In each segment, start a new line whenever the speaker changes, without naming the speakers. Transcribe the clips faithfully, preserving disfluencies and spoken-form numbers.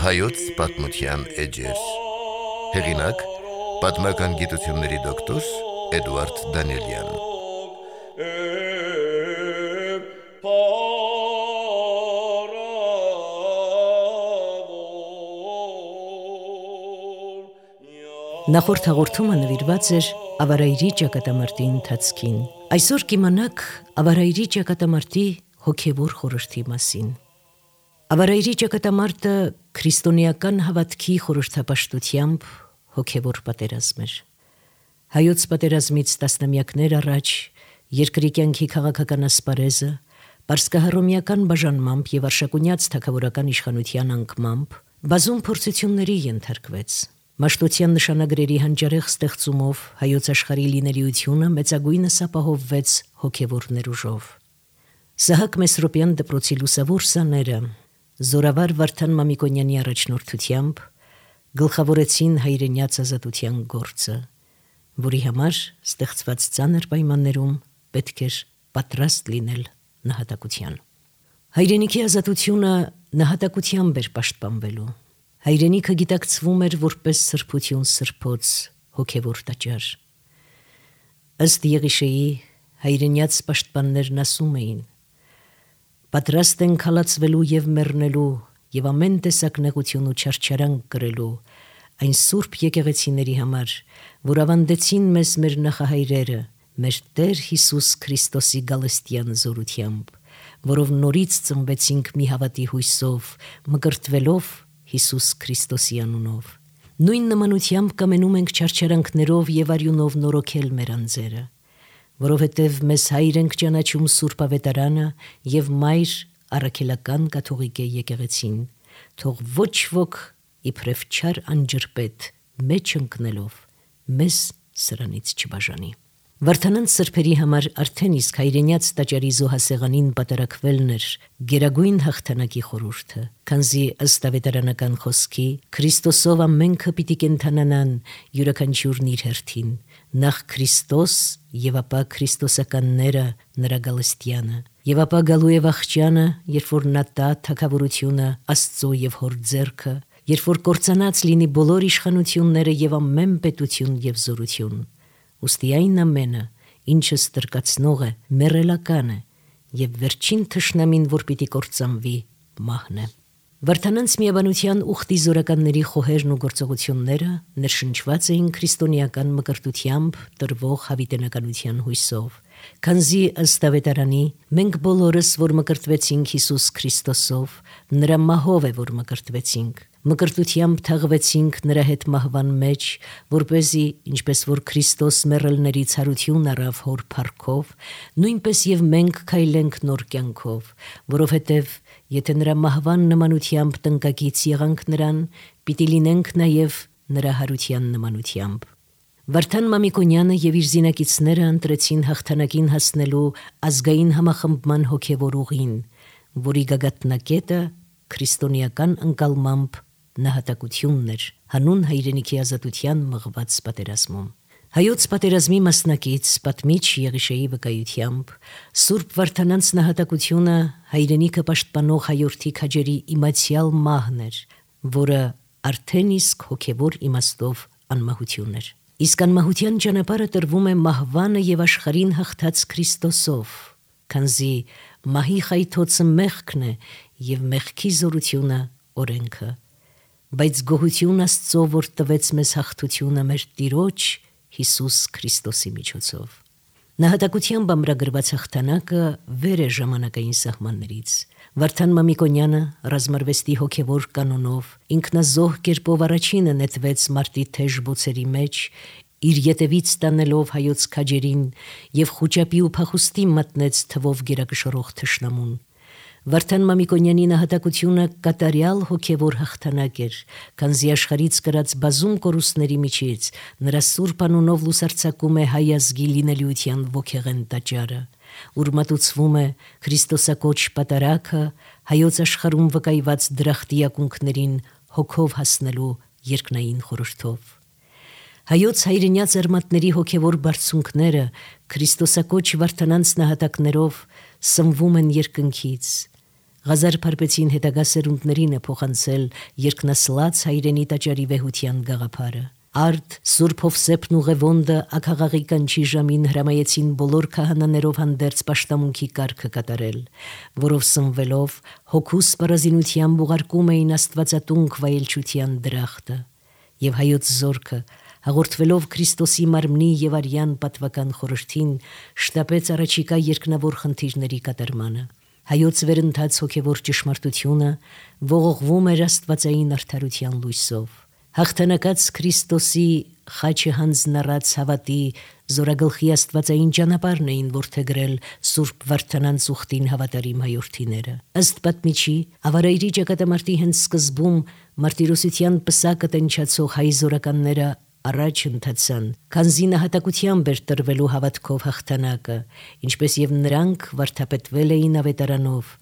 Հայոց պատմության էջեր։ Հեղինակ՝ պատմական գիտությունների դոկտոր Էդուարդ Դանիելյան։
Նախորդ հաղորդումը նվիրված էր Ավարայրի ճակատամարտի ընթացքին։ Այսօր կիմանաք Ավարայրի ճակատամարտի հոգևոր խորհրդի մասին։ Ավարայրի ճակատամարտը քրիստոնեական հավատքի խորհրդապաշտությամբ հոգևոր պատերազմ էր։ Հայոց պատերազմից տասնամյակներ առաջ երկրի կյանքի քաղաքական ասպարեզը պարսկահռոմեական բաժանմամբ եւ արշակունյաց թագավորական իշխանության անկմամբ բազում փորձությունների ենթարկվեց։ Մաշտոցյան նշանագրերի հանճարեղ ստեղծումով հայոց աշխարհի լինելիությունը մեծագույնս ապահովվեց հոգևոր ներուժով։ Սահակ Մեսրոպյան դպրոցի լուսավոր սաները Զորավար Վարդան Մամիկոնյանի առաջնորդությամբ գլխավորեցին հայրենյաց ազատության գործը, որի համար ստեղծված ծանր պայմաններում պետք էր պատրաստ լինել նահատակության։ Հայրենիքի ազատությունը նահատակությամբ էր պաշտպանվելու։ Հայրենիքը գիտակցվում էր որպես սրբություն սրբոց, հոգևոր տաճար։ Ըստ Եղիշեի հայրենյաց պաշտպաններն ասում էին. «Պատրաստ ենք հալածվելու և մեռնելու և ամեն տեսակ նեղություն ու չարչարանք կրելու այն սուրբ եկեղեցիների համար, որ ավանդեցին մեզ մեր նախահայրերը, մեր Տեր Հիսուս Քրիստոսի գալստյան զորությամբ, որով նորից ծնվեցինք մի հավատի հույսով, մկրտվելով Հիսուս Քրիստոսի անունով։ Նույն նմանությամբ կամենում ենք չարչարանքներով և արյունով նորոգել մեր անձերը, որովհետև մեզ հայր ենք ճանաչում Սուրբ Ավետարանը և մայր առաքելական կաթողիկե եկեղեցին, թող ոչ ոք իբրև չար անջրպետ մեջ ընկնելով մեզ սրանից չբաժանի»։ Վարդանանց սրբերի համար արդեն իսկ հայրենյաց տաճարի զոհասեղանին պատարակվելն էր գերագույն հաղթանակի խորհուրդը, քանզի ըստ ավետարանական խոսքի Քրիստոսով ամենքը պիտի կենդանանան յուրաքանչյուրն իր հերթին, նախ Քրիստոս և ապա քրիստոսականները նրա գալստյանը, և ապա գալու է վախճանը, երբ որ նա տա թագավորությունը Աստծո և Հոր ձեռքը, երբ որ կործանած լինի բոլոր իշխանությունները և ամեն պետություն և զորություն։ Ուստի այն ամենը, ինչը ստրկացնող է, մեռելական է, և վերջին թշնամին, որ պիտի կործանվի, մահն է։ Վարդանանց միաբանության ուխտի զորականների խոհերն ու գործողությունները ներշնչված էին քրիստոնեական մկրտությամբ տրվող հավիտենականության հույսով, քանզի ըստ ավետարանի մենք բոլորս, որ մկրտվեցինք Հիսուս Քրիստոսով, նրա մահով է, որ մկրտվեցինք, մկրտությամբ թաղվեցինք նրա հետ մահվան մեջ, որպեսզի ինչպես որ Քրիստոս մեռելներից հարություն առավ Հոր փառքով, նույնպես և մենք քայլենք նոր կյանքով, որովհետև եթե նրա մահվան նմանությամբ տնկակից եղանք նրան, պիտի լինենք նաև նրա հարության նմանությամբ։ Վարդան Մամիկոնյանը և իր զինակիցները ընտրեցին հաղթանակին հասնելու ազգային համախմբման հոգևոր ուղին, որի գագաթնակետը քրիստոնեական ընկալմամբ նահատակությունն էր հանուն հայրենիքի ազատության մղված պատերազմում։ Հայոց պատերազմի մասնակից պատմիչ Եղիշեի վկայությամբ Սուրբ Վարդանանց նահատակությունը հայրենիքը պաշտպանող հայորդի քաջերի իմացյալ մահն էր, որը արդեն իսկ հոգևոր իմաստով անմահություն էր։ Իսկ անմահության ճանապարհը տրվում է մահվանը և աշխարհին հաղթած Քրիստոսով, քանզի մահի խայթոցը մեղքն է և մեղքի զորությունը օրենքը։ Բայց գոհություն Աստծո, որ տվեց մեզ հաղթությունը մեր Տիրոջ Հիսուս Քրիստոսի միջոցով։ Նահատակությամբ ամրագրված հաղթանակը վեր է ժամանակային սահմաններից։ Վարդան Մամիկոնյանը ռազմարվեստի հոգևոր կանոնով ինքնազոհ կերպով առաջինը նետվեց մարտի թեժ բոցերի մեջ, իր ետևից տանելով հայոց քաջերին և խուճապի ու փախուստի մատնեց թվով գերակշռող թշնամուն։ Վարդան Մամիկոնյանի նահատակությունը կատարյալ հոգևոր հաղթանակ էր, քանզի աշխարհից կրած բազում կորուստների միջից նրա սուրբ անունով լուսարձակում է հայ ազգի լինելիության ոգեղեն տաճարը, ուր մատուցվում է Քրիստոսակոչ պատարագը հայոց աշխարհում վկայված դրախտի ակունքներին հոգով հասնելու երկնային խորհրդով։ Հայոց հայրենյա ձեռմատների հոգևոր բարձունքները Քրիստոսակոչ վարդանանց նահատակներով սնվում են երկնքից։ Ղազար Փարպեցին հետագա սերունդներին է փոխանցել երկնասլաց հայրենի տաճարի վեհության գաղափարը։ Արդ Սուրբ Հովսեփն ուղևոնդը ակաղաղի կանչի ժամին հրամայեցին բոլոր քահանաներով հանդերձ պաշտամունքի կարգը կատարել, որով սնվելով հոգու սպառազինությամբ ուղարկում էին Աստվածատունք վայելչության դրախտը, եւ հայոց զորքը հաղորդվելով Քրիստոսի մարմնի եւ արյան պատվական խորհրդին շտապեց առաջիկա երկնավոր խնդիրների կատարմանը։ Հայոց վերընթաց հոգևոր ճշմարտությունը ողողվում էր աստվածային արդարության լույսով։ Հաղթանակած Քրիստոսի խաչը հանձնառած հավատի զորագլխի աստվածային ճանապարհն էին որդեգրել Սուրբ Վարդանանց ուխտին հավատարիմ հայորդիները։ Ըստ պատմիչի, ավարայրի ճակատամարտի հենց սկզբում մարտիրոսության պսակը տնչացող հայ զորականները առաջ ընթացան, քանզի նահատակությամբ էր տրվելու հավատքով հաղթանակը, ինչպես եւ նրանք վարդապետվել էին ավետարանով։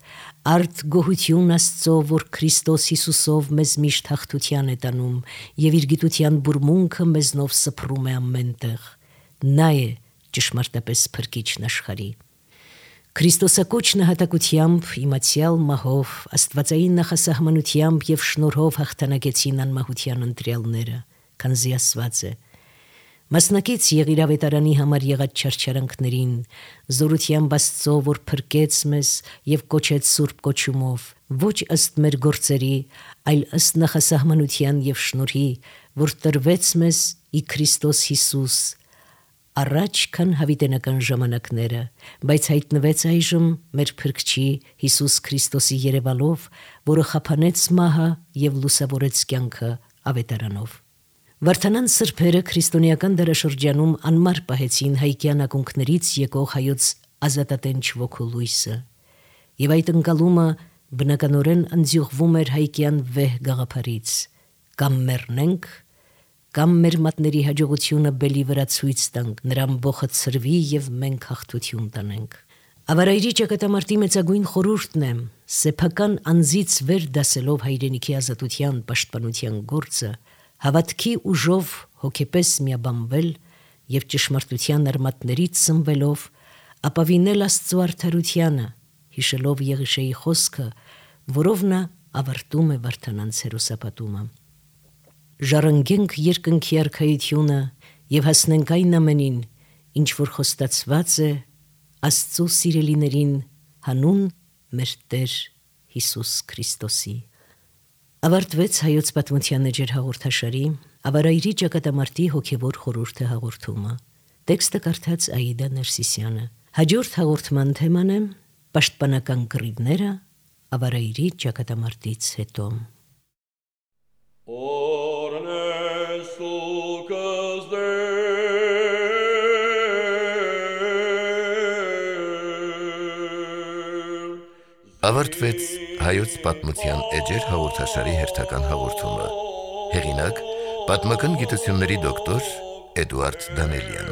Արդ գոհություն Աստծո, որ Քրիստոս Հիսուսով մեզ միշտ հաղթության է տանում եւ իր գիտության բուրմունքը մեզնով սփռում է ամենտեղ։ Նա է ճշմարտապես փրկիչն աշխարհի։ Քրիստոսակոչ նահատակությամբ, իմացյալ մահով, աստվածային նախասահմանությամբ եւ շնորհով հաղթանակեցին անմահության ընտրյալները, քանզի ասված է. մասնակից եղիր ավետարանի համար եղած չարչարանքներին, զորությամբ Աստծո, որ փրկեց մեզ եւ կոչեց սուրբ կոչումով, ոչ ըստ մեր գործերի, այլ ըստ նախասահմանության եւ շնորհի, որ տրվեց մեզ ի Քրիստոս Հիսուս, առաջ քան հավիտենական ժամանակները, բայց հայտնվեց այժմ մեր Փրկչի Հիսուս Քրիստոսի երևալով, որը խափանեց մահը եւ լուսավորեց կյանքը ավետարանով։ Վարդանանց սրբերը քրիստոնեական դարաշրջանում անմար պահեցին հայկյան ակունքներից եկող հայոց ազատատենչ ոգու լույսը, եւ այդ ընկալումը բնականորեն ընձյուղվում էր հայկյան վեհ գաղափարից. կամ մեռնենք, կամ մեր մատների հաջողությունը բելի վրա ցույց տանք, նրան բոխը ցրվի եւ մենք հաղթություն տանենք։ Ավարայրի ճակատամարտի մեծագույն խորհուրդն է սեփական անձից վեր դասելով հայրենիքի ազատության պաշտպանության գործը, հավատքի ուժով հոգեպես միաբանվել եւ ճշմարտության արմատներից սնվելով ապավինել Աստծո արդարությանը, հիշելով Եղիշեի խոսքը, որով նա ավարտում է Վարդանանց հերոսապատումը։ Ժառանգենք երկնքի արքայությունը եւ հասնենք այն ամենին, ինչ որ խոստացված է Աստծո սիրելիներին հանուն մեր Տեր Հիսուս Քրիստոսի։ Ավարտվեց հայոց պատմության էջեր հաղորդաշարի ավարայրի ճակատամարտի հոգևոր խորհուրդը հաղորդումը։ Տեքստը կարդաց Աիդա Ներսիսյանը։ Հաջորդ հաղորդման թեման է պաշտպանական կռիվները ավարայրի ճակատամարտից հետո։
Ավարտվեց հայոց պատմության էջեր հաղորդաշարի հերթական հաղորդումը։ Հեղինակ՝ պատմական գիտությունների դոկտոր Էդուարդ Դանելյան։